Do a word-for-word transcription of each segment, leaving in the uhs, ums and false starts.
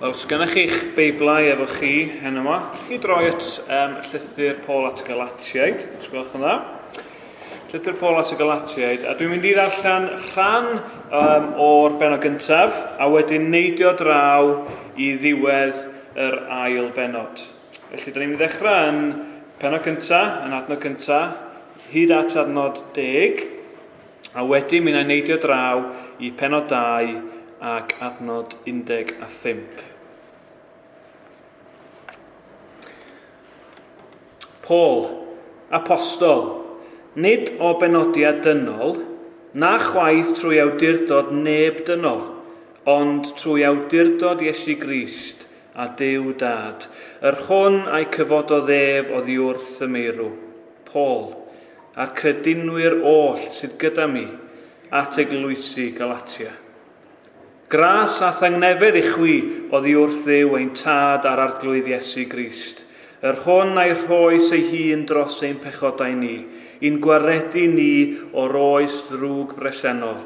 Wel, os gennych chi'ch Beiblau efo chi heno yma, allwch chi droi at um, llythyr Paul at y Galatiaid, os gwelwch yn dda. Llythyr Paul at y Galatiaid, a dwi'n mynd i ddarllen rhan um, o'r bennod gyntaf, a wedyn neidio draw i ddiwedd yr ail bennod. Felly, da ni'n mynd i ddechrau yn pennod gyntaf, yn adnod gyntaf, hyd at adnod deg, a wedyn mi wna i neidio draw i pennod dau ac adnod undeg a phump. Paul, apostol, nid o benodiad dynol, na chwaith trwy awdurdod neb dynol, ond trwy awdurdod Iesu Grist a Duw Dad, yr hwn a'i cyfododd ef oddi wrth y meirw. Paul, a'r credinwyr oll sydd gyda mi, at eglwysi Galatia. Gras a thangnefedd i chwi oddi wrth Dduw ein Tad a'r Arglwydd Iesu Grist, yr hwn a'i rhoes ei hun dros ein pechodau ni, i'n gwaredu ni o'r oes ddrwg bresennol,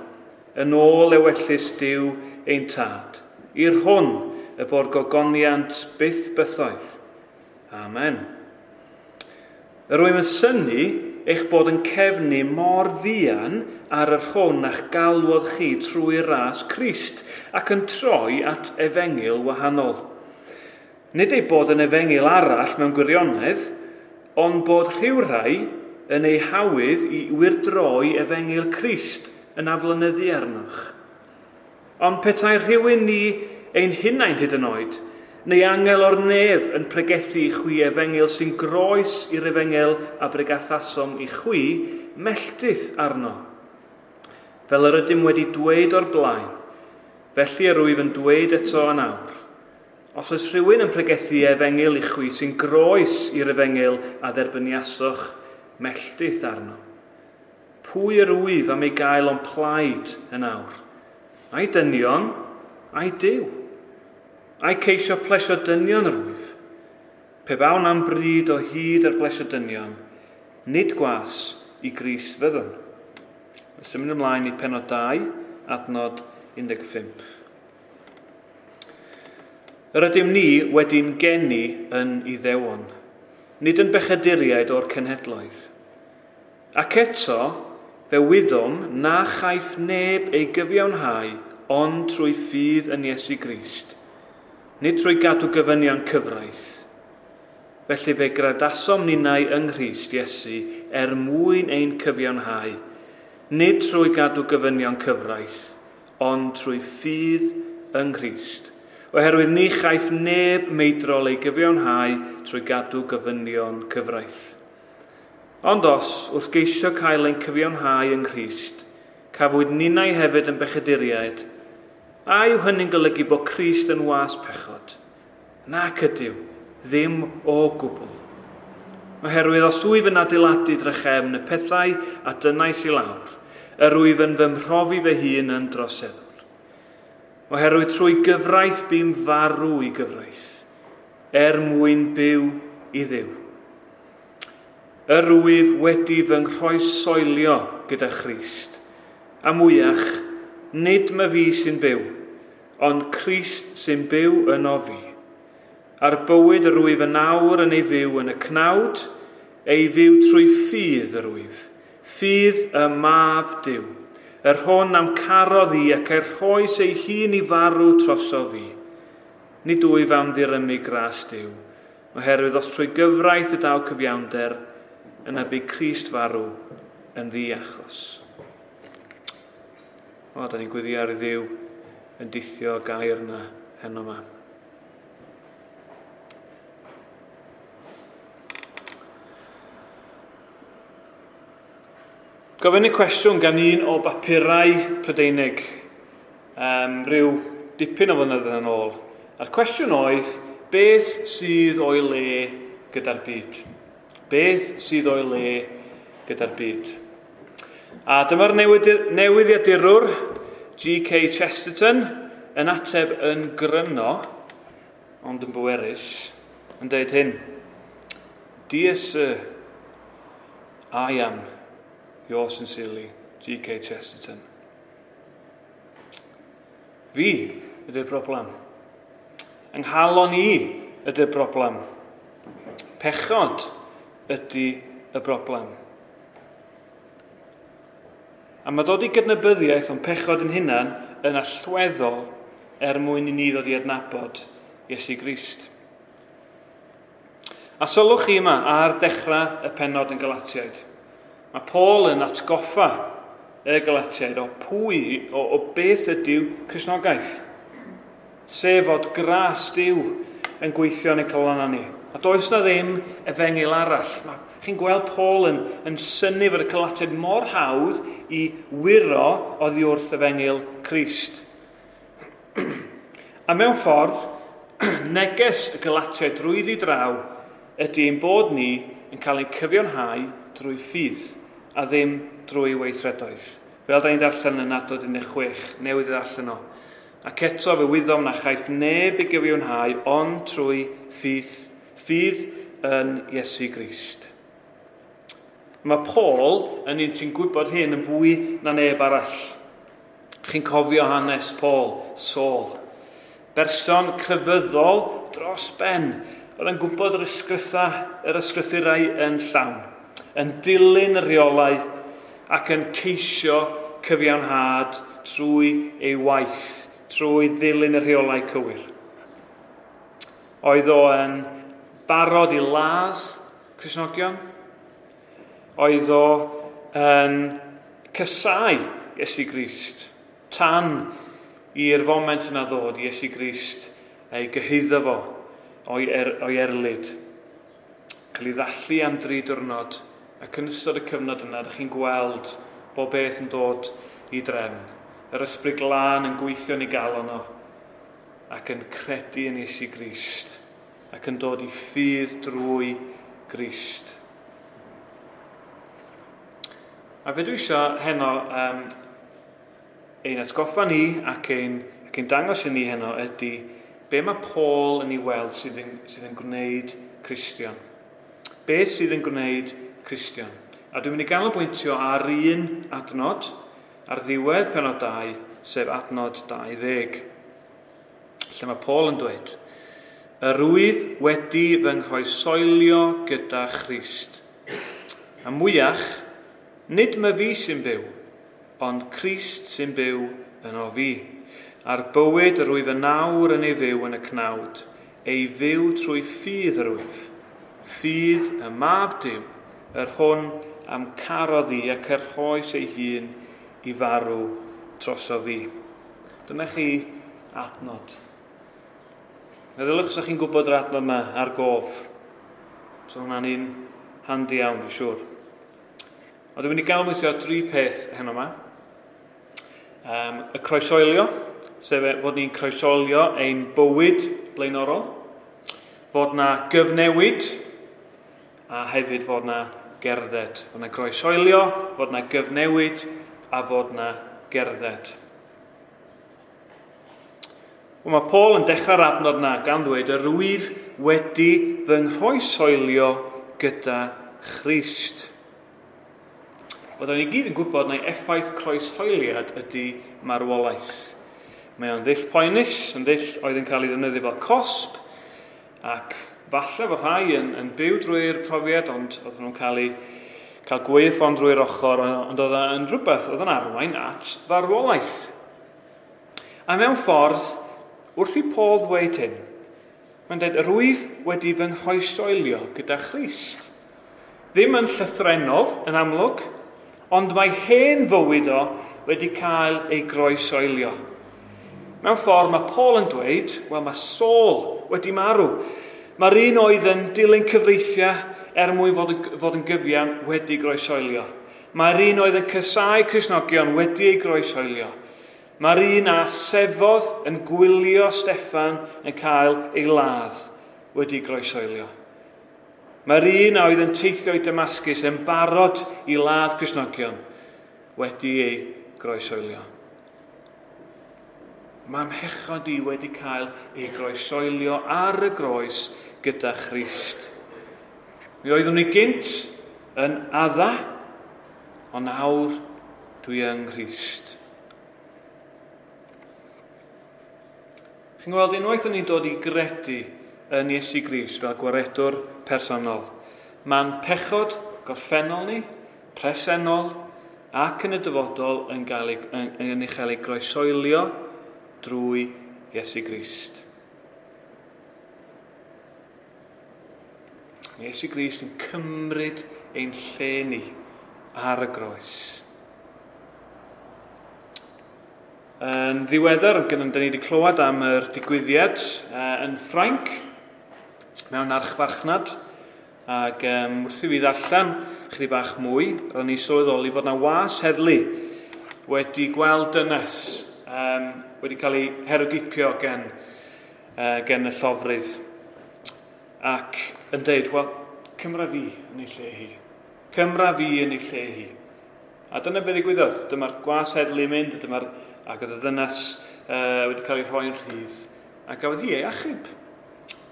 yn ôl ewyllys Duw ein Tad, i'r hwn y bo'r gogoniant byth bythoedd. Amen. Yr wyf yn synnu eich bod yn cefnu mor fuan ar yr hwn a'ch galwodd chi trwy ras Crist ac yn troi at efengyl wahanol. Nid ei bod yn efengyl arall mewn gwirionedd, ond bod rhyw rai yn ei hawydd i wyrdroi efengyl Crist yn aflonyddu arnoch. Ond petai rhywun ni ein hunain hyd yn oed, neu angel o'r nef yn pregethu i chwi efengyl sy'n groes i'r efengyl a bregathasom i chwi, melltith arno. Fel yr ydym wedi dweud o'r blaen, felly yr wyf yn dweud eto yn awr. Os oes rhywun yn pregethu efengyl i chwi sy'n groes i'r efengyl a dderbyniasoch, melltith arno. Pwy yr wyf am ei gael o'n plaid yn awr? Ai dynion, ai Duw? Ai ceisio plesio dynion yr wyf? Pe bawn am bryd o hyd ar blesio dynion, nid gwas i Grist fyddwn. Symud ymlaen i pennod dau, adnod un deg pump. Yr ydym ni wedi'n geni yn Iddewon, nid yn bechaduriaid o'r cenhedloedd. Ac eto, fe wyddom na chaiff neb ei gyfiawnhau ond trwy ffydd yn Iesu Grist, nid trwy gadw gofynion cyfraith. Felly fe gradasom ninnau yng Nghrist Iesu er mwyn ein cyfiawnhau, nid trwy gadw gofynion cyfraith, ond trwy ffydd yng Nghrist. Oherwydd ni chaiff neb meidrol ei gyfiawnhau trwy gadw gofynion cyfraith. Ond os, wrth geisio cael ein cyfiawnhau yng Nghrist, cafwyd ninnau hefyd yn bechaduriaid, a yw hynny'n golygu bod Crist yn was pechod? Nac ydyw, ddim o gwbl. Oherwydd os wyf yn adeiladu drachefn y pethau a dynnais i lawr, yr wyf yn fy mhrofi fy hun yn droseddwr. Oherwydd trwy gyfraith bu'n farw i gyfraith, er mwyn byw i Dduw. Yr wyf wedi fy nghroeshoelio gyda Christ, a mwyach, nid my fi sy'n byw, ond Crist sy'n byw yno fi. A'r bywyd yr wyf yn awr yn ei fyw yn y cnawd, ei fyw trwy ffydd yr wyf, ffydd y Mab Duw, yr hwn am carodd i ac er rhoes ei hun i farw troso fi. Nid wyf am ddirymu gras Duw, oherwydd os trwy gyfraith y daw cyfiawnder, yna bu Crist farw yn ddiachos. O, da ni'n gweddio ar i Dduw yn dithio gair yna heno yma. Gofyn y cwestiwn gan un o bapurau Prydeinig, um, rhyw dipyn o flynyddoedd yn ôl. A'r cwestiwn oedd, beth sydd o'i le gyda'r byd? Beth sydd o'i le gyda'r byd? A dyma'r newyddiadurwr G K Chesterton yn ateb yn gryno, ond yn bwerus, yn dweud hyn. Dear sir, I am yours sincerely, G K Chesterton. Fi ydy'r broblem. Yng nghalon i ydy'r broblem. Pechod ydy y broblem. A mae dod i gydnabyddiaeth o'n pechod yn hunan yn allweddol er mwyn i ni ddod i adnabod Iesu Grist. A sylwch chi yma ar dechrau y pennod yn Galatiaid. Mae Paul yn atgoffa y Galatiaid o pwy, o, o beth ydyw Cristnogaeth. Sef fod gras Duw yn gweithio yn ein calonnau ni. A does na ddim efengyl arall. Mae, chi'n gweld Paul yn, yn synnu fod y Galatiaid mor hawdd i wyro oddi wrth efengyl Crist. A mewn ffordd, neges y Galatiaid drwyddi draw ydy ein bod ni yn cael ein cyfiawnhau drwy ffydd a ddim drwy weithredoedd. Fel da ni'n darllen yn adnod un deg chwech, newydd ddarllen o. Ac eto fe wyddom na chaiff neb ei gyfiawnhau ond trwy ffydd, ffydd yn Iesu Grist. Mae Paul yn un sy'n gwybod hyn yn fwy na neb arall. Chi'n cofio hanes Paul, Saul. Berson crefyddol dros ben, oedd yn gwybod yr ysgrytha, yr ysgrythurau yn llawn, yn dilyn y rheolau ac yn ceisio cyfiawnhad trwy ei waith, trwy ddilyn y rheolau cywir. Oedd o yn barod i ladd Cristnogion? Oedd o yn casáu Iesu Grist, tan i'r foment yna ddod i Iesu Grist ei gyhuddo fo o'i, er, o'i erlid. Cael ei ddallu am dri diwrnod, ac yn ystod y cyfnod yna, ydych chi'n gweld bob beth yn dod i drefn. Yr Ysbryd Glân yn gweithio yn ei galon o, ac yn credu yn Iesu Grist, ac yn dod i ffydd drwy Grist. A be dwi eisiau heno um, ein atgoffa ni ac ein, ac ein dangos i ni heno ydy be mae Paul yn ei weld sydd yn, sydd yn gwneud Cristion. Beth sydd yn gwneud Cristion? A dwi'n mynd i ganolbwyntio ar un adnod ar ddiwedd pennod dau, sef adnod dau ddeg, lle mae Paul yn dweud, Yr wyf wedi fy nghroeshoelio gyda Christ. A mwyach, nid myfi sy'n byw, ond Crist sy'n byw yno fi. A'r bywyd yr wyf yn nawr yn ei fyw yn y cnawd, ei fyw trwy ffydd yr wyf. Ffydd y Mab Duw, yr hwn am carodd i ac yr rhoes ei hun i farw droso fi. Dyna chi adnod. Meddyliwch os ydych chi'n gwybod yr adnod yma ar gof. So hwnna'n un handi iawn, dwi'n siŵr. Ond dwi'n mynd i ganolbwyntio ar dri peth heno yma. Um, y croeshoelio, sef fod ni'n croeshoelio ein bywyd blaenorol, fod na gyfnewid, a hefyd fod na gerdded. Fod na groeshoelio, fod na gyfnewid, a fod na gerdded. Wel, mae Paul yn dechrau'r adnod na gan ddweud, yr wyf wedi fy nghroeshoelio gyda Christ. Wel, da ni gyd yn gwybod mai effaith croeshoeliad ydy marwolaeth. Mae o'n ddull poenus, yn ddull oedd yn cael ei ddefnyddio fel cosb, ac falle fod rhai yn, yn byw drwy'r profiad, ond oedden nhw'n cael ei cael gwaywffon drwy'r ochr, ond oedd yn rhywbeth oedd yn arwain at farwolaeth. A mewn ffordd, wrth i Paul ddweud hyn, mae'n dweud, yr wyf wedi fy nghroeshoelio gyda Christ. Ddim yn llythrennol, yn amlwg, ond mae hen fywyd o wedi cael ei groeshoelio. Mewn ffordd mae Paul yn dweud, wel mae Saul wedi marw. Mae'r un oedd yn dilyn cyfreithiau er mwyn fod, fod yn gyfiawn wedi groeshoelio. Mae'r un oedd yn casáu Cristnogion wedi ei groeshoelio. Mae'r un a sefodd yn gwylio Steffan yn cael ei ladd wedi groeshoelio. Mae'r un a oedd yn teithio i Damascus yn barod i ladd Cristnogion wedi ei groeshoelio. Mae mhechod i wedi cael ei groeshoelio ar y groes gyda Christ. Mi oeddwn i gynt yn Adda, ond nawr dwi yng Nghrist. Chi'n gweld, unwaith o'n ni'n dod i gredu yn Iesu Grist fel gwaredwr personol, mae'n pechod gorffennol ni, presennol ac yn y dyfodol yn, gael ei, yn, yn ei chael ei groesoelio drwy Iesu Grist. Mae Iesu Grist yn cymryd ein lle ni ar y groes. Yn ddiweddar, dyn ni wedi clywed am yr digwyddiad uh, yn Ffrainc, mewn archfarchnad, ac um, wrth i fi ddarllen chydig bach mwy, ro'n i sylweddoli fod na was heddlu wedi gweld dynes um, wedi cael ei herwgipio gen, uh, gen y llofrudd, ac yn deud, wel, cymra fi yn ei lle hi. Cymra fi yn ei lle hi. A dyna beth ddigwyddodd. Dyma'r gwas heddlu yn mynd, dyma'r, ac oedd y ddynes uh, wedi cael ei rhoi'n rhydd, a gafodd hi ei achub.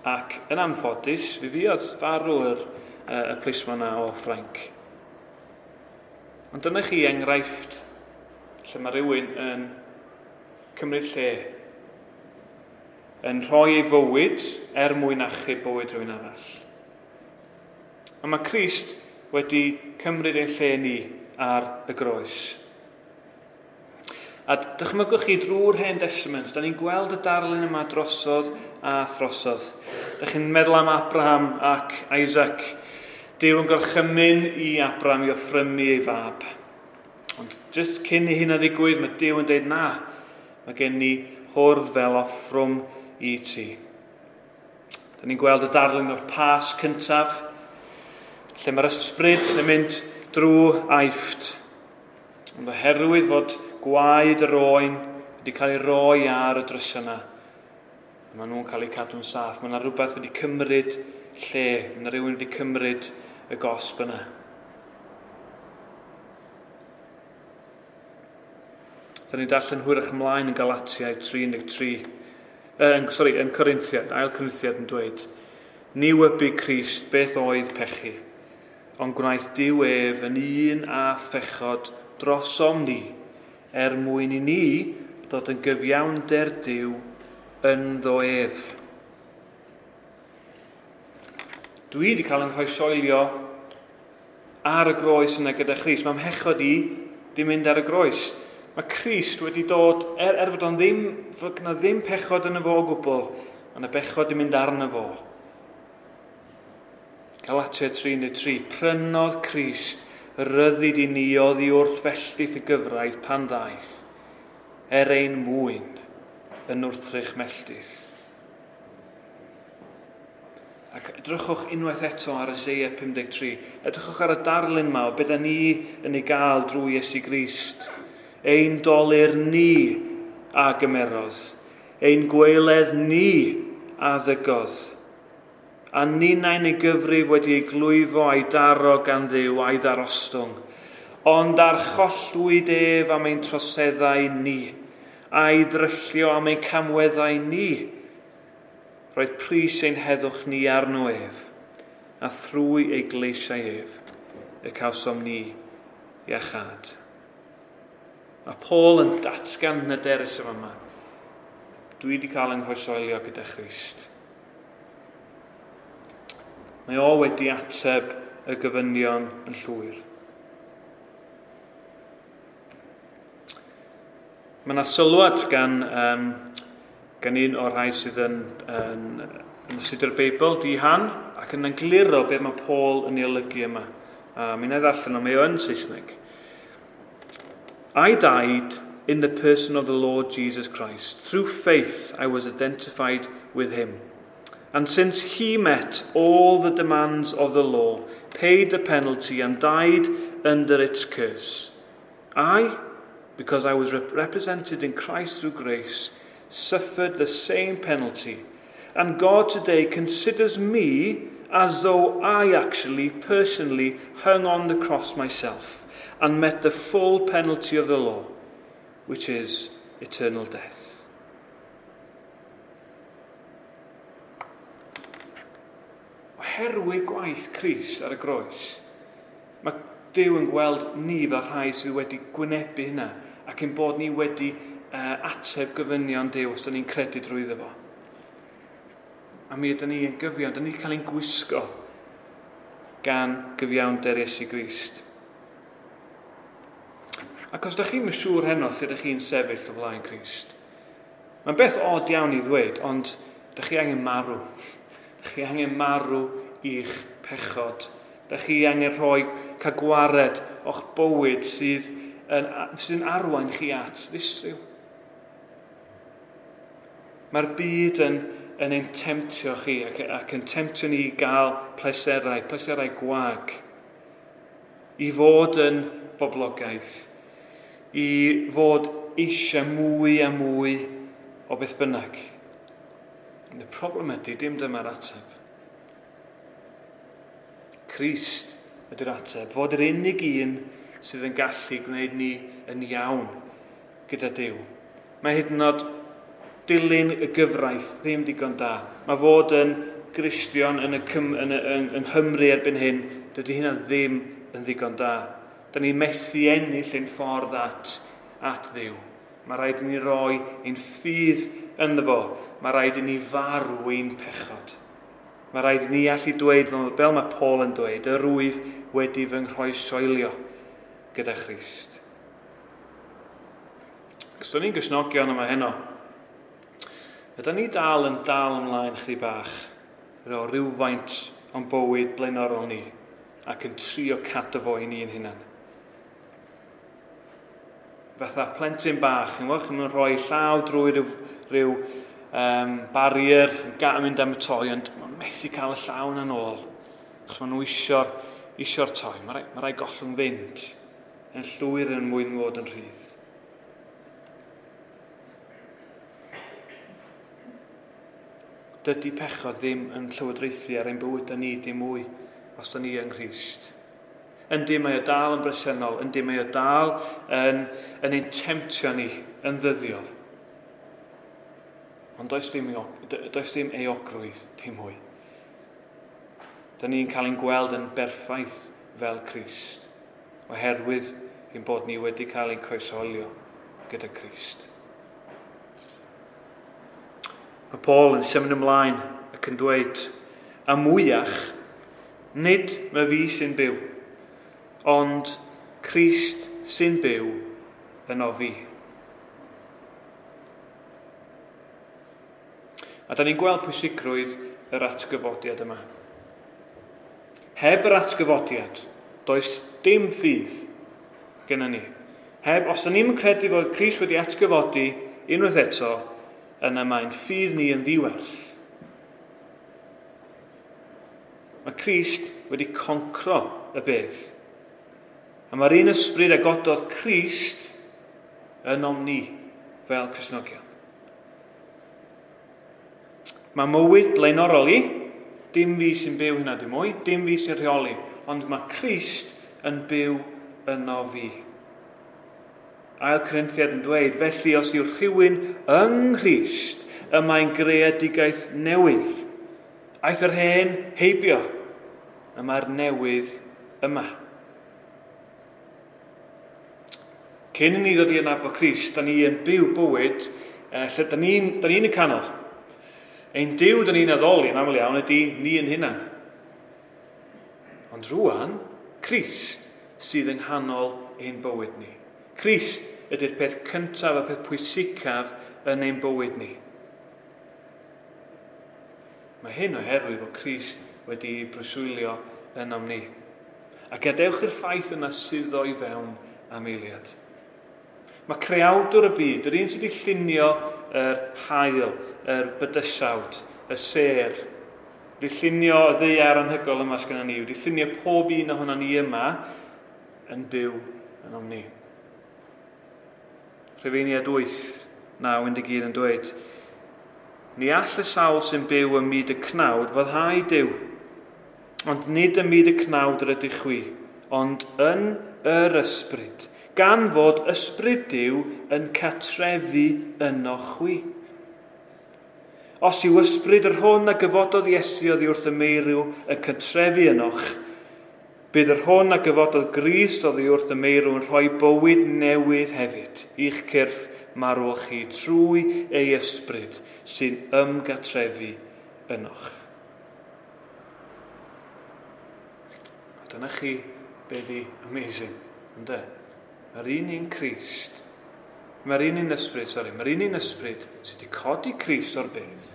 Ac yn anffodus, fi fuodd farw yr, uh, y plismon yna o Ffrainc. Ond dyna chi enghraifft lle mae rhywun yn cymryd lle, yn rhoi ei fywyd er mwyn achub bywyd rhywun arall. A mae Crist wedi cymryd ein lle ni ar y groes. A dychmygwch chi drwy'r Hen Testament, da ni'n gweld y darlun yma drosodd a throsodd. Da chi'n meddwl am Abraham ac Isaac. Duw yn gorchymyn i Abraham i offrymu ei fab. Ond jyst cyn i hynna ddigwydd, mae Duw yn dweud na, mae gen i hwrdd fel offrwm i ti. Da ni'n gweld y darlun o'r Pasg cyntaf, lle mae'r ysbryd yn mynd drwy Aifft. Ond oherwydd fod gwaed yr oen wedi cael ei roi ar y drysau yna, maen nhw'n cael eu cadw'n saff. Mae yna rhywbeth wedi cymryd lle, mae yna rhywun wedi cymryd y gosb yna. Da ni'n darllen hwyrach ymlaen yn Galatiaid tri un deg tri, eh, sorry, yn Corinthiad, ail Corinthiad yn dweud, ni wybu Crist beth oedd pechu, ond gwnaeth Duw ef yn un a phechod drosom ni, er mwyn i ni ddod yn gyfiawnder Duw ynddo ef. Dwi wedi cael yn rhoi ar y groes yna gyda Christ. Mae mhechod i di mynd ar y groes. Mae Crist wedi dod, er, er fod o'n ddim, fod yna ddim pechod yn y fo o gwbl, mae yna bechod yn mynd arno fo. Galatia tri un deg tri, prynodd Crist ryddid i ni oddi wrth fellyth y gyfraith pan ddaeth, er ein mwyn yn wrthrych melltith. Ac edrychwch unwaith eto ar Isaiah pum deg tri. Edrychwch ar y darlun ma o beth ni yn ei gael drwy Iesu Grist. Ein dolur ni a gymerodd, ein gwaeledd ni a ddygodd, a ninnau'n ei gyfrif wedi ei glwyfo a'i daro gan Dduw a'i ddarostwng. Ond archollwyd ef am ein troseddau ni, a'i ddryllio am ein camweddau ni. Roedd pris ein heddwch ni arno ef, a thrwy ei gleisiau ef, y cawsom ni iachâd. Mae Paul yn datgan hyderus yma yma. Dwi wedi cael yng nghroesoelio gyda Christ. Mae o wedi ateb y gofynion yn llwyr. Mae yna sylwad gan, um, gan un o'r rhai sydd yn, yn, yn astudio'r Beibl, Di Han, ac yn egluro beth mae Paul yn ei olygu yma. A mi wna i ddarllen o, mae o yn Saesneg. I died in the person of the Lord Jesus Christ. Through faith I was identified with him. And since he met all the demands of the law, paid the penalty and died under its curse, I, because I was rep- represented in Christ through grace, suffered the same penalty. And God today considers me as though I actually personally hung on the cross myself and met the full penalty of the law, which is eternal death. Oherwydd gwaith Crist ar y groes, mae Duw yn gweld ni fel rhai sydd wedi gwynebu hynna ac yn bod ni wedi uh, ateb gofynion Duw os da ni'n credu drwyddo fo. A mi ydyn ni yn gyfiawn, dyn ni wedi cael ein gwisgo gan gyfiawnder Iesu Grist. Ac os ydych chi'n siŵr heno lle ydych chi'n sefyll o flaen Crist, mae'n beth od iawn i ddweud, ond ydych chi angen marw. Ydych chi angen marw i'ch pechod. Ydych chi angen rhoi cael gwared o'ch bywyd sydd yn, sydd yn arwain chi at ddistryw. Mae'r byd yn, yn ein temtio chi ac, ac yn temtio ni i gael pleserau, pleserau gwag, i fod yn boblogaidd, i fod eisiau mwy a mwy o beth bynnag. Y problem ydy, dim dyma'r ateb. Crist ydy'r ateb. Fod yr unig un sydd yn gallu gwneud ni yn iawn gyda Duw. Mae hyd yn oed dilyn y gyfraith ddim digon da. Mae fod yn Gristion yn, y Cym, yn, y, yng, yng Nghymru erbyn hyn, dydy hynna ddim yn ddigon da. Da ni'n methu ennill ein ffordd at, at Dduw. Mae rhaid i ni roi ein ffydd ynddo fo. Mae rhaid i ni farw ein pechod. Mae rhaid i ni allu dweud, fel mae Paul yn dweud, yr wyf wedi fy nghroeshoelio gyda Christ. Cos do'n ni'n Gristnogion yma heno, ydyn ni dal yn dal ymlaen chdi bach o rywfaint o'n bywyd blaenorol ni ac yn trio cadw fo i ni'n hunan. Fatha plentyn bach, yn gwybod, yn rhoi llaw drwy rhyw, rhyw um, barrier, yn ga- mynd am y toi, ond mae'n methu cael y llaw yna'n ôl. Achos maen nhw isio'r, isio'r toi. Mae rai, mae rai gollwng fynd yn llwyr yn mwyn fod yn rhydd. Dydy pechod ddim yn llywodraethu ar ein bywydau ni dim mwy os da ni yng Nghrist. Yndi, mae o dal yn bresennol, yndi, mae o dal yn, yn ein temtio ni yn ddyddiol. Ond does dim, does dim euogrwydd dim mwy. Da ni'n cael ein gweld yn berffaith fel Crist, oherwydd ein bod ni wedi cael ein croeshoelio gyda Crist. Mae Paul yn symud ymlaen ac yn dweud, a mwyach, nid mae fi sy'n byw, ond Crist sy'n byw yno fi. A da ni'n gweld pwysigrwydd yr atgyfodiad yma. Heb yr atgyfodiad, does dim ffydd gyda ni. Heb, os da ni'n credu fod Crist wedi atgyfodi unwaith eto, yna mae'n ffydd ni yn ddiwerth. Mae Crist wedi concro y bedd. A mae'r un ysbryd a gododd Crist ynom ni fel Cristnogion. Mae mywyd blaenorol i, dim fi sy'n byw hynna dim mwy, dim fi sy'n rheoli, ond mae Crist yn byw yno fi. Ail Corinthiad yn dweud, felly os yw rhywun yng Nghrist, y mae'n greadigaeth newydd. Aeth yr hen heibio, y mae'r newydd yma. Cyn i ni ddod i adnabod Crist, da ni yn byw bywyd eh, lle da ni'n ni y canol. Ein Duw da ni'n addoli yn aml iawn ydy ni yn hunan. Ond rwan, Crist sydd yng nghanol ein bywyd ni. Crist ydy'r peth cyntaf a peth pwysicaf yn ein bywyd ni. Mae hyn oherwydd bod Crist wedi breswylio ynom ni. A gadewch i'r ffaith yna suddo i fewn am eiliad. Mae creawdwr y byd, yr un sydd wedi llunio yr haul, yr bydysawd, y sêr, wedi llunio y ddaear anhygoel yma sgynnon ni, wedi llunio pob un ohono ni yma yn byw ynom ni. Rhufeiniaid wyth, naw, un deg un yn dweud, ni all y sawl sy'n byw ym myd y cnawd foddhau Duw, ond nid ym myd y cnawd yr ydych chwi, ond yn yr ysbryd, gan fod ysbryd Duw yn cartrefu yno chwi. Os yw ysbryd yr hwn a gyfododd Iesu oddi wrth y meirw yn cartrefu ynoch, bydd yr hwn a gyfododd Grist oddi wrth y meirw yn rhoi bywyd newydd hefyd i'ch cyrff marwol chi trwy ei ysbryd sy'n ymgartrefu ynoch. A dyna chi be di amazing, ynde? Mae'r un un Crist, mae'r un un ysbryd, sori, mae'r un un ysbryd sydd wedi codi Crist o'r bedd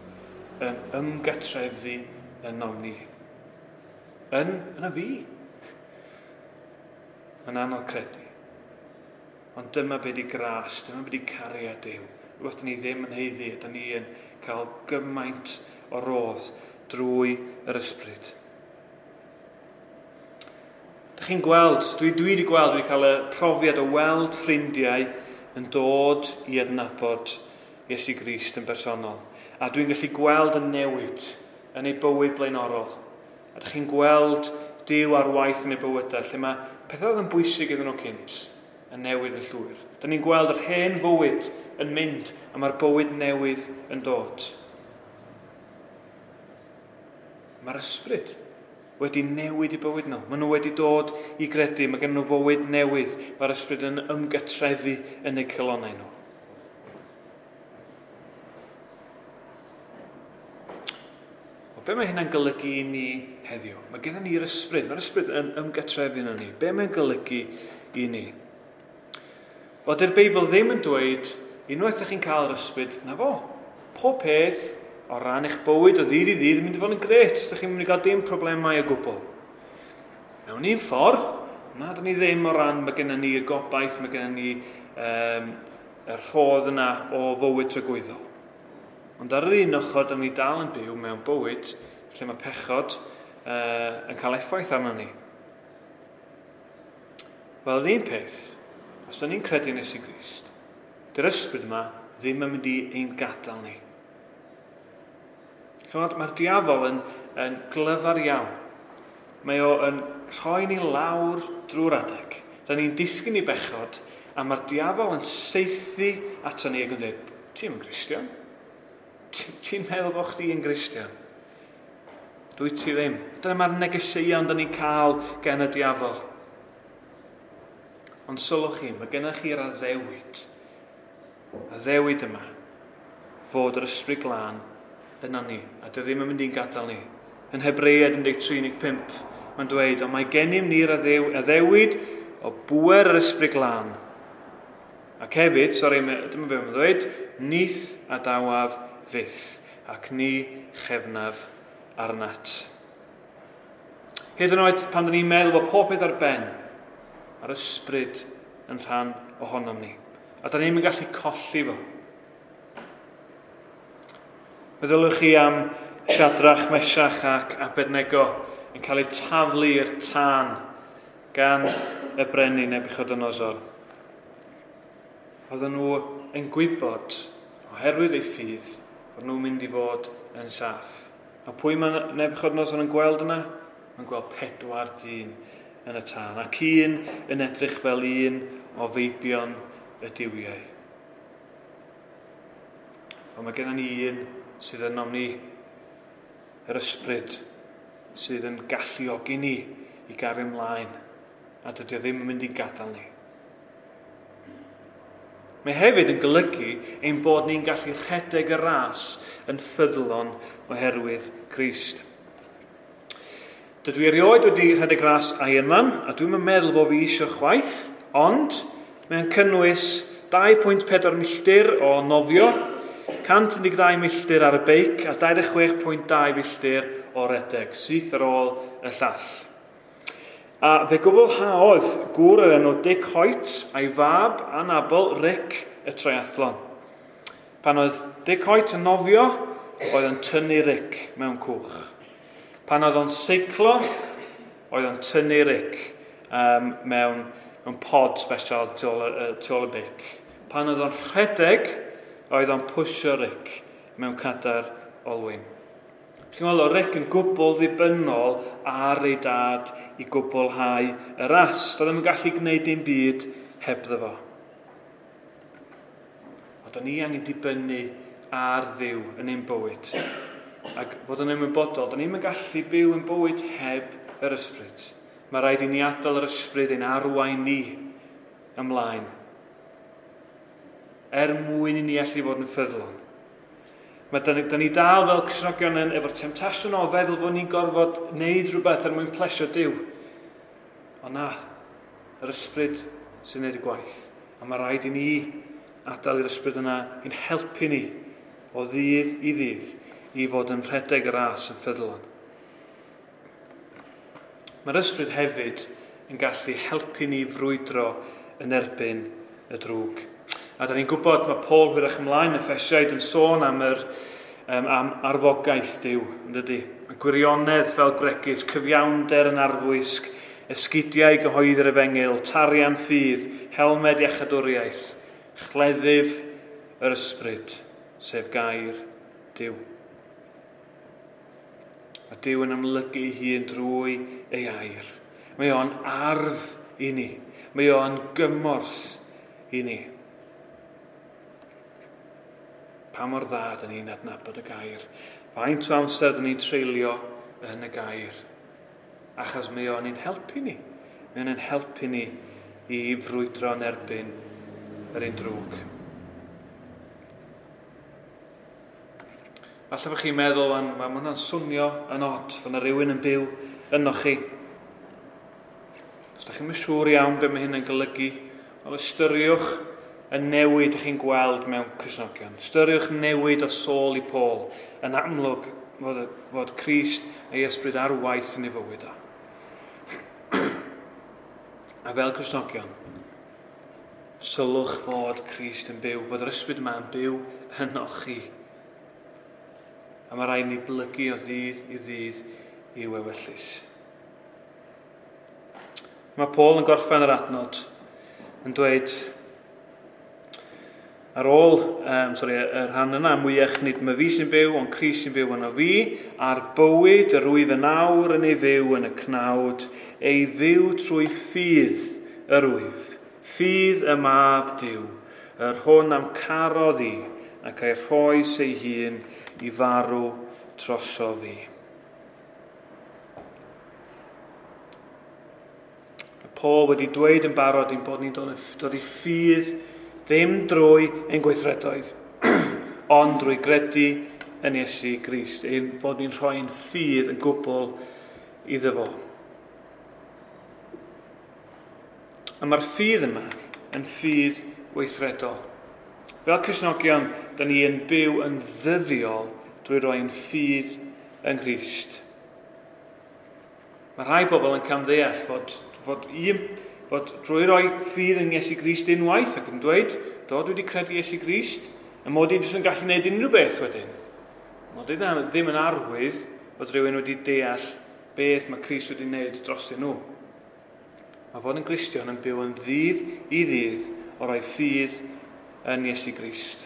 yn ymgatrefu ynom ni. Yn, yn y fi. Yn anodd credu. Ond dyma be di gras, dyma be di cariad Duw. Rhywbeth ni ddim yn haeddu, a da ni yn cael gymaint o rodd drwy yr ysbryd. Dych chi'n gweld, dwi, dwi wedi gweld, dwi wedi cael y profiad o weld ffrindiau yn dod i adnabod Iesu Grist yn bersonol. A dwi'n gallu gweld y newid yn ei bywyd blaenorol. A dych chi'n gweld Duw ar waith yn ei bywydau, lle mae pethau oedd yn bwysig iddyn nhw cynt yn newid y llwyr. Da ni'n gweld yr hen fywyd yn mynd a mae'r bywyd newydd yn dod. Mae'r ysbryd wedi newid i bywyd nhw. Maen nhw wedi dod i gredu, mae gen nhw fywyd newydd. Mae'r ysbryd yn ymgatrefu yn eu calonnau nhw. O, be mae hynna'n golygu i ni heddiw? Mae gennym ni'r ysbryd. Mae'r ysbryd yn ymgatrefu yn ni. Be mae'n golygu i ni? Wel, dy'r Beibl ddim yn dweud, unwaith ydych chi'n cael yr ysbryd, na fo. Pob peth o ran eich bywyd o ddydd i ddydd yn mynd i fod yn gret. Ydych chi'n mynd i gael dim problemau o gwbl. Mewn un ffordd, na, dyn ni ddim o ran, mae gennym ni y gobaith, mae gennym ni um, y rhodd yna o fywyd tragwyddol. Ond ar yr un ochr, dyn ni dal yn byw mewn bywyd lle mae pechod uh, yn cael effaith arno ni. Wel, yr un peth, os dyn ni'n credu yn Iesu Grist, dy'r ysbryd yma ddim yn mynd i ein gadael ni. Chymod, mae'r diafol yn, yn glyfar iawn. Mae o yn rhoi ni lawr drwy'r adeg. Da ni'n disgyn i bechod, a mae'r diafol yn saethu ato ni ac yn dweud, ti'n yn Gristion? Ti'n meddwl bod chdi yn Gristion? Dwi ti ddim. Dyna mae'r negeseuon da ni'n cael gen y diafol. Ond sylwch chi, mae gennych chi'r addewid. Addewid yma, fod yr ysbryd glân yna ni, a dy ddim yn mynd i'n gadael ni. Yn Hebreaid un deg tri un deg pump, mae'n dweud, ond mae gennym ni'r addewid o bŵer yr ysbryd glân. Ac hefyd, sori, dyma be mae'n dweud, nith adawaf fyth, ac ni chefnaf arnat. Hyd yn oed pan dyn ni'n meddwl bod pob peth ar ben, mae'r ysbryd yn rhan ohonom ni. A da ni'n gallu colli fo. Meddylwch chi am Shadrach, Meshach ac Abednego yn cael eu taflu i'r tân gan y brenin Nebuchadnezzar. Oedden nhw yn gwybod, oherwydd eu ffydd, bod nhw'n mynd i fod yn saff. A pwy mae Nebuchadnezzar yn gweld yna? Mae'n gweld pedwar dyn yn y tân, ac un yn edrych fel un o feibion y duwiau. Ond mae gennym ni un sydd ynom ni, yr ysbryd sydd yn galluogi ni i gario ymlaen, a dydy o ddim yn mynd i gadael ni. Mae hefyd yn golygu ein bod ni'n gallu rhedeg y ras yn ffyddlon oherwydd Crist. Dydw i erioed wedi rhedeg ras Ironman, a dwi'm yn meddwl bod fi eisiau chwaith, ond mae'n cynnwys dau pwynt pedwar milltir o nofio, cant un deg dau milltir ar y beic a dau ddeg chwech pwynt dau milltir o redeg, syth ar ôl y llall. A fe gwblhaodd gŵr yr enw Dick Hoyt a'i fab anabl Rick y triathlon. Pan oedd Dick Hoyt yn nofio, oedd yn tynnu Rick mewn cwch. Pan oedd o'n seiclo, oedd o'n tynnu Rick um, mewn, mewn pod special tu ôl, tu ôl y beic. Pan oedd o'n rhedeg, oedd o'n pwysio Rick mewn cadair olwyn. Chi'n meddwl, oedd Rick yn gwbl ddibynnol ar ei dad i gwblhau y ras. Doedd ddim yn gallu gwneud dim byd hebddo fo. Ond o'n ni angen dibynnu ar Dduw yn ein bywyd. Ac fod yn ymwybodol, da ni'n gallu byw yn bywyd heb yr ysbryd. Mae rhaid i ni adael yr ysbryd ein arwain ni ymlaen, er mwyn i ni allu fod yn ffyddlon. Mae da ni, da ni dal fel Cristnogion yn efo'r temtasiwn o feddwl bod ni'n gorfod wneud rhywbeth er mwyn plesio Duw. Ond na, yr ysbryd sy'n neud y gwaith. A mae rhaid i ni adael i'r ysbryd yna i'n helpu ni o ddydd i ddydd i fod yn rhedeg y ras yn ffyddlon. Mae'r ysbryd hefyd yn gallu helpu ni frwydro yn erbyn y drwg. A da ni'n gwybod mae Paul hwyrach ymlaen y Effesiaid yn sôn am, yr, um, am arfogaeth Duw, yn dydy? Y gwirionedd fel gwregys, cyfiawnder yn arfwisg, esgidiau gyhoeddi'r efengyl, tarian ffydd, helmed iachadwriaeth, chleddyf yr ysbryd, sef gair Duw. Mae Duw yn amlygu ei hun drwy ei air. Mae o'n arf i ni. Mae o'n gymorth i ni. Pa mor dda dyn ni'n adnabod y gair. Faint o amser dyn ni'n treulio yn y gair. Achos mae o'n ein helpu ni. Mae o'n ein helpu ni i frwydro yn erbyn yr un drwg. Falle bod chi'n meddwl, mae hwnna'n swnio yn od, fod yna rhywun yn byw yno chi. Os da chi'n siŵr iawn beth mae hyn yn golygu, ond ystyriwch y newid ych chi'n gweld mewn Cristnogion. Ystyriwch newid o Saul i Paul yn amlwg fod, fod Crist a'i ysbryd ar waith yn ei fywyd o. A fel Cristnogion, sylwch fod Crist yn byw, fod yr ysbryd yma yn byw ynoch chi. A mae rhaid ni blygu o ddydd i ddydd i'w ewyllys. Mae Paul yn gorffen yr adnod yn dweud, ar ôl um, sorry, y rhan yna, mwyach nid mae fi sy'n byw, ond Crist sy'n byw yno fi, a'r bywyd yr wyf yn awr yn ei fyw yn y cnawd, ei fyw trwy ffydd yr wyf, ffydd y mab Duw, yr hwn am carodd i, ac ei rhoes ei hun i farw droso fi. Mae Paul wedi dweud yn barod ein bod ni'n dod, dod i ffydd ddim drwy ein gweithredoedd, ond drwy gredu yn Iesu Grist, ein bod ni'n rhoi'n ffydd yn gwbl iddo fo. A mae'r ffydd yma yn ffydd weithredol. Fel Cristnogion, da ni yn byw yn ddyddiol drwy roi'n ffydd yng Nghrist. Mae rhai bobl yn camddeall fod, fod, un, fod drwy roi ffydd yn Iesu Grist unwaith ac yn dweud, do, dwi wedi credu Iesu Grist, a mod i jyst yn gallu gwneud unrhyw beth wedyn. Mod i ddim yn arwydd fod rhywun wedi deall beth mae Crist wedi gwneud drostyn nhw. Mae fod yn Gristion yn byw yn ddydd i ddydd o roi ffydd yn Iesu Grist.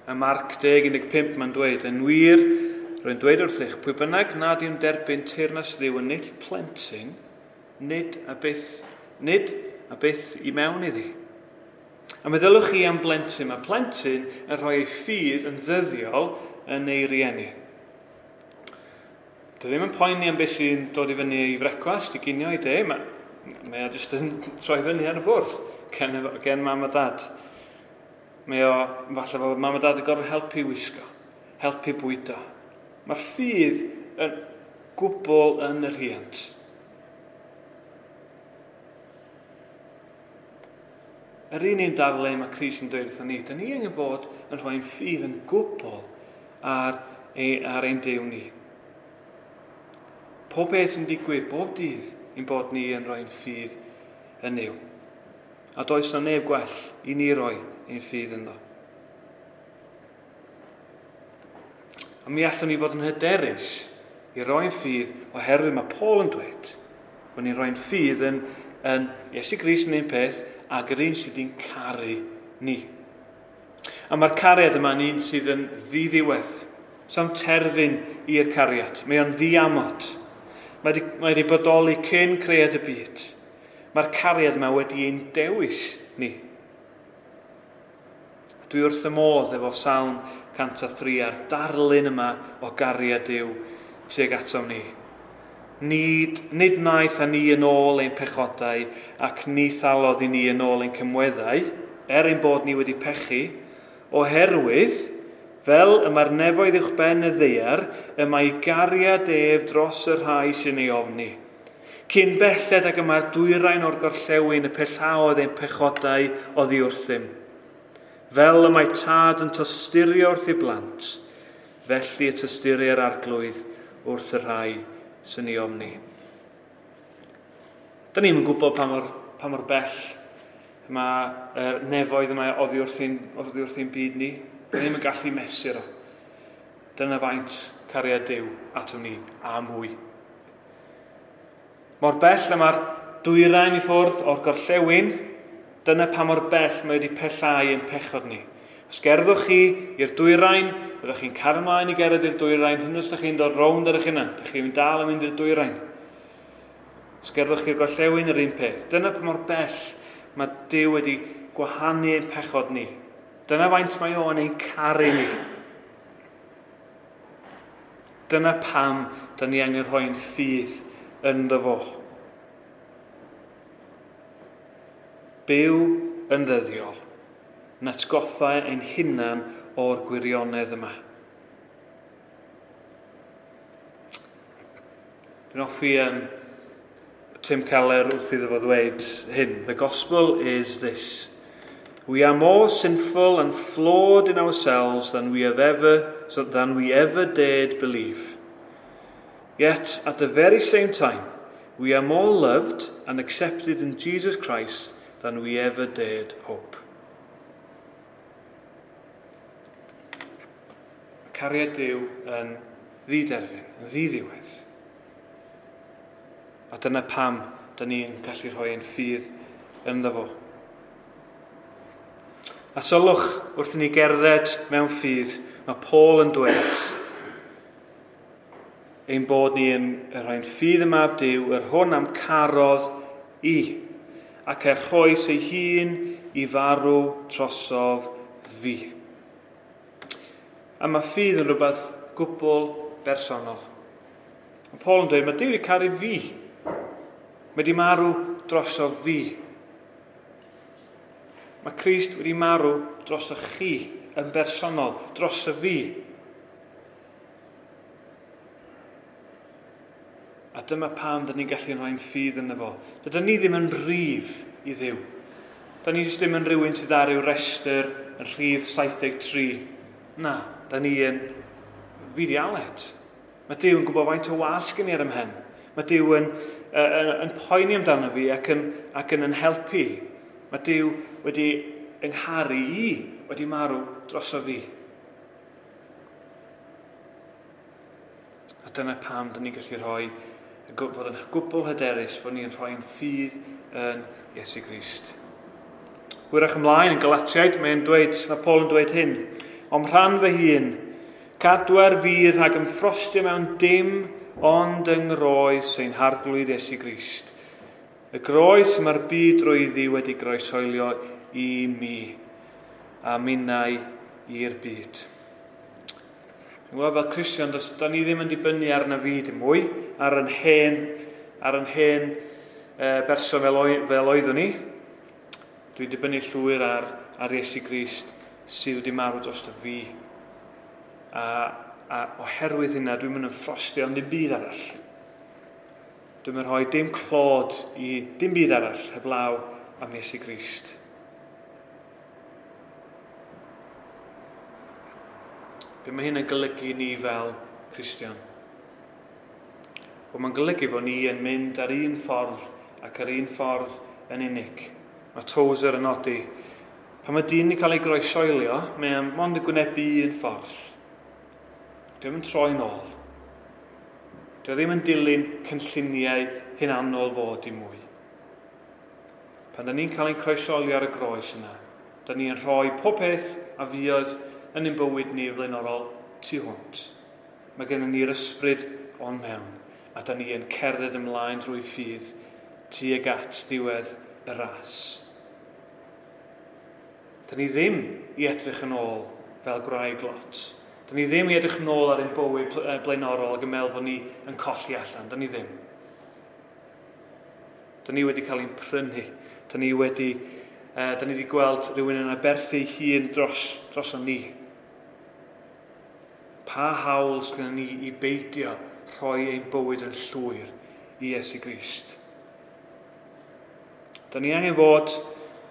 Ym Marc deg un deg pump mae'n dweud, yn wir, rwy'n dweud wrthych, pwy bynnag nad yw'n derbyn teyrnas Dduw yn null plentyn, nid a byth, nid a byth i mewn iddi. A meddylwch chi am blentyn, mae plentyn yn rhoi ei ffydd yn ddyddiol yn ei rieni. Dwi ddim yn poeni am beth sy'n dod i fyny i frecwast, i ginio, i de, mae, mae o jyst yn troi fyny ar y bwrdd gen, gen mam a dad. Mae o, falle fod mam a dad yn gorfod helpu wisgo, helpu bwydo. Mae'r ffydd yn gwbl yn y rhiant. Yr un un darlun mae Crist yn dweud wrthon ni, da ni angen bod yn rhoi'n ffydd yn gwbl ar, ei, ar ein Duw ni. Pob beth sy'n digwydd bob dydd ein bod ni yn rhoi'n ffydd yn Nuw. A does na neb gwell i ni roi ein ffydd ynddo. A mi allwn ni fod yn hyderus i roi'n ffydd oherwydd mae Paul yn dweud bod ni'n rhoi'n ffydd yn, yn Iesu Grist yn un peth ac yr un sydd wedi'n caru ni. A mae'r cariad yma yn un sydd yn ddiddiwedd. Sa'm terfyn i'r cariad. Mae o'n ddiamod. Mae wedi, mae wedi bodoli cyn cread y byd. Mae'r cariad yma wedi ein dewis ni. Dwi wrth y modd efo Salm cant a thri a'r darlun yma o gariad Duw tuag atom ni. Nid, nid wnaeth â ni yn ôl ein pechodau ac ni thalodd i ni yn ôl ein cymweddau, er ein bod ni wedi pechu, oherwydd Fel y mae'r nefoedd uwchben y ddaear, y mae gariad ef dros y rhai sy'n ei ofni. Cyn belled ag y mae'r dwyrain o'r gorllewin y pellaodd ein pechodau oddi wrthym. Fel y mae tad yn tosturio wrth ei blant, felly y tosturi'r Arglwydd wrth y rhai sy'n ei ofni. Da ni'n gwybod pa mor, pa mor bell mae'r nefoedd yma oddi wrth ein, oddi wrth ein byd ni. Da ni'n gallu mesur o. Dyna faint cariad Duw atom ni a mwy. Mor bell y mae'r dwyrain i ffwrdd o'r gorllewin, dyna pa mor bell mae wedi pellhau ein pechod ni. Os gerddwch chi i'r dwyrain, byddwch chi'n cario ymlaen i gerdded i'r dwyrain, hyn os ydych chi'n dod rownd ar eich hunan, ydych chi'n dal yn mynd i'r dwyrain. Os gerddwch chi'r gorllewin, yr un peth. Dyna pa mor bell mae Duw wedi gwahanu ein pechod ni. Dyna faint mae o'n ein caru ni. Dyna pam da ni angen rhoi'n ffydd ynddo fo. Byw yn ddyddiol, yn atgoffa ein hunan o'r gwirionedd yma. Dwi'n hoffi um, Tim Keller wrth iddo fo ddweud hyn. The gospel is this. We are more sinful and flawed in ourselves than we have ever, than we ever dared believe. Yet, at the very same time, we are more loved and accepted in Jesus Christ than we ever dared hope. Mae cariad Duw yn ddiderfyn, yn ddiddiwedd. A dyna pam da ni'n gallu rhoi ein ffydd ynddo fo. A sylwch wrth i ni gerdded mewn ffydd, mae Paul yn dweud ein bod ni yn rhoi'n ffydd y Mab Duw, yr hwn am carodd i, ac er rhoes ei hun i farw trosof fi. A mae ffydd yn rhywbeth gwbl bersonol. Mae Paul yn dweud, mae Duw wedi caru fi. Mae wedi marw drosof fi. Mae Crist wedi marw drosoch chi yn bersonol, drosof fi. A dyma pam dyn ni'n gallu rhoi'n ffydd ynddo fo. Dydyn ni ddim yn rhif i Dduw. Dyn ni jyst ddim yn rhywun sydd ar ryw restr yn rhif saith deg tri. Na, dyn ni yn fi di Aled. Mae Duw yn gwybod faint o was gen i ar 'y mhen. Mae Duw yn, yn, yn poeni amdano fi ac yn, ac yn yn helpu. Mae Duw wedi yngharu i, wedi marw droso fi. A dyna pam dyn ni'n gallu rhoi, fod yn gwbl hyderus fod ni'n rhoi'n ffydd yn Iesu Grist. Hwyrach ymlaen yn Galatiaid, mae'n dweud, mae Paul yn dweud hyn. O'm rhan fy hun, cadwer fi rhag ymffrostio mewn dim ond yng ngroes ein Harglwydd Iesu Grist. Y groes mae'r byd drwyddi wedi groeshoelio i mi, a minnau i'r byd. Dwi'n gwybod fel Cristion, does, da ni ddim yn dibynnu arna fi dim mwy, ar yn hen, ar yn hen e, berson fel, oe, fel oeddwn ni. Dwi'n dibynnu llwyr ar, ar Iesu Grist sydd wedi marw dros fi. A, a oherwydd hynna, dwi'n mynd yn ffrostio ond dim byd arall. Dwi'n mynd rhoi dim clod i dim byd arall heblaw am Iesu Grist. Be mae hyn yn golygu ni fel Cristion? Wel, mae'n golygu fod ni yn mynd ar un ffordd ac ar un ffordd yn unig. Mae Tozer yn nodi, pan mae dyn yn cael ei groeshoelio, mae o'n mond yn gwynebu un ffordd. Dwi ddim yn troi nôl. Dwi ddim yn dilyn cynlluniau hunanol fod i mwy. Pan da ni'n cael ein croeshoelio ar y groes yna, da ni'n rhoi pob peth a fuodd yn ein bywyd ni flaenorol tu hwnt. Mae gennym ni'r ysbryd o'n mewn, a da ni yn cerdded ymlaen drwy ffydd tuag at ddiwedd y ras. Da ni ddim i edrych yn ôl fel gwraig Lot. Da ni ddim i edrych yn ôl ar ein bywyd blaenorol ac yn meddwl bod ni yn colli allan. Da ni ddim. Da ni wedi cael ein prynu. Da ni wedi, eh, da ni wedi gweld rhywun yn aberthu ei hun dros, dros ni. Pa hawl sydd ni i beidio rhoi ein bywyd yn llwyr i Iesu Grist? Da ni angen fod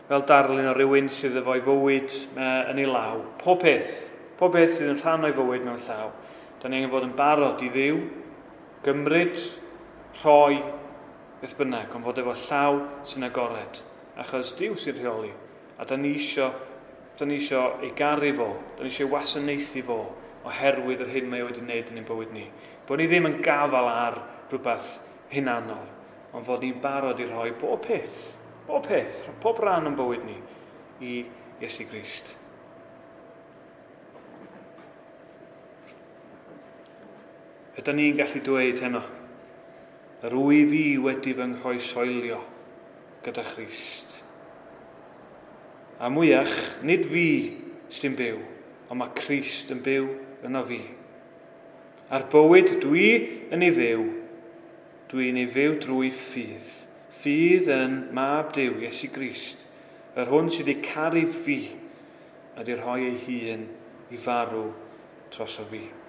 fel darlun o rywun sydd efo'i fywyd yn ei law. Pob peth, pob peth sydd yn rhan o'i fywyd mewn llaw. Da ni angen fod yn barod i Dduw, gymryd, rhoi, beth bynnag, ond fod efo llaw sy'n agored. Achos Duw sy'n rheoli. A da ni isio, da ni isio ei garu fo, da ni isio ei wasanaethu fo, oherwydd yr hyn mae o wedi wneud yn ein bywyd ni. Bod ni ddim yn gafal ar rhywbeth hunanol, ond fod ni'n barod i rhoi bob peth, bob peth, pob rhan o'n bywyd ni i Iesu Grist. Ydy ni'n gallu dweud heno, yr wyf fi wedi fy nghroeshoelio gyda Christ. A mwyach, nid fi sy'n byw, ond mae Crist yn byw yno fi. A'r bywyd dwi yn ei fyw, dwi'n ei fyw drwy ffydd. Ffydd yn Mab Duw, Iesu Grist, yr hwn sydd wedi caru fi a wedi rhoi ei hun i farw droso fi.